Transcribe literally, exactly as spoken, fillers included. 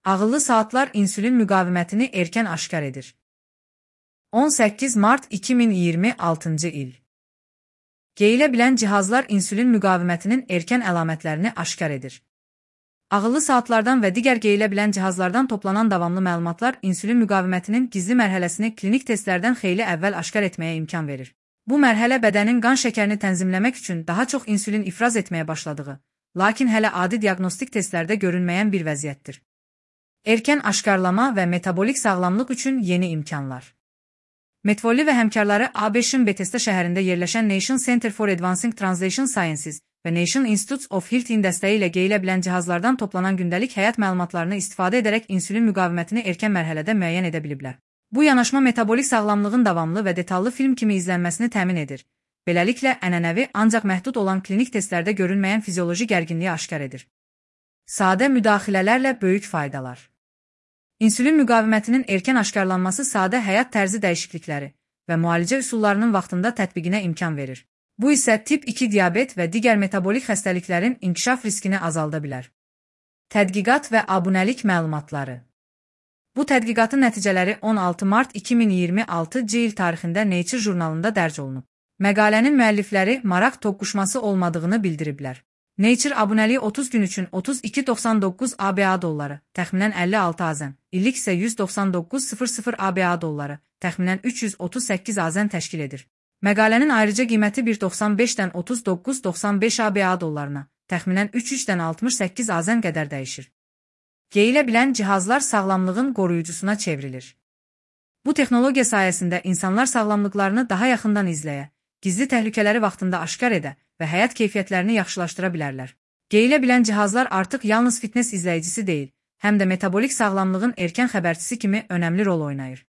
Ağıllı saatlar insülin müqavimətini erkən aşkar edir. on səkkiz mart iki min iyirmi altıncı il. Geyilə bilən cihazlar insülin müqavimətinin erkən əlamətlərini aşkar edir. Ağıllı saatlardan və digər geyilə bilən cihazlardan toplanan davamlı məlumatlar insülin müqavimətinin gizli mərhələsini klinik testlərdən xeyli əvvəl aşkar etməyə imkan verir. Bu mərhələ bədənin qan şəkərini tənzimləmək üçün daha çox insülin ifraz etməyə başladığı, lakin hələ adi diaqnostik testlərdə görünməyən bir vəziyyətdir. Erkən aşkarlama və metabolik sağlamlıq üçün yeni imkanlar. Metfolli və həmkarları A B Ş-ın Bethesda şəhərində yerləşən Nation Center for Advancing Translation Sciences və Nation Institutes of Health-in dəstəyi ilə geyilə bilən cihazlardan toplanan gündəlik həyat məlumatlarını istifadə edərək insülin müqavimətini erkən mərhələdə müəyyən edə biliblər. Bu yanaşma metabolik sağlamlığın davamlı və detallı film kimi izlənməsini təmin edir. Beləliklə, ənənəvi, ancaq məhdud olan klinik testlərdə görünməyən fizioloji gərginliyi aşkar edir. Sadə müdaxilələrlə böyük faydalar. İnsülin müqavimətinin erkən aşkarlanması sadə həyat tərzi dəyişiklikləri və müalicə üsullarının vaxtında tətbiqinə imkan verir. Bu isə tip iki diabet və digər metabolik xəstəliklərin inkişaf riskini azalda bilər. Tədqiqat və abunəlik məlumatları. Bu tədqiqatın nəticələri on altı mart iki min iyirmi altıncı il tarixində Nature jurnalında dərc olunub. Məqalənin müəllifləri maraq toqquşması olmadığını bildiriblər. Nature abunəliyi otuz gün üçün otuz iki min doxsan doqquz A B A dolları, təxminən əlli altı azən, illik isə yüz doxsan doqquz min A B A dolları, təxminən üç yüz otuz səkkiz azən təşkil edir. Məqalənin ayrıca qiyməti bir doxsan beşdən otuz doqquz doxsan beş A B A dollarına, təxminən üç yüzdən altmış səkkiz azən qədər dəyişir. Geyilə bilən cihazlar sağlamlığın qoruyucusuna çevrilir. Bu texnologiya sayəsində insanlar sağlamlıqlarını daha yaxından izləyə, gizli təhlükələri vaxtında aşkar edə və həyat keyfiyyətlərini yaxşılaşdıra bilərlər. Geyilə bilən cihazlar artıq yalnız fitness izləyicisi deyil, həm də metabolik sağlamlığın erkən xəbərçisi kimi önəmli rol oynayır.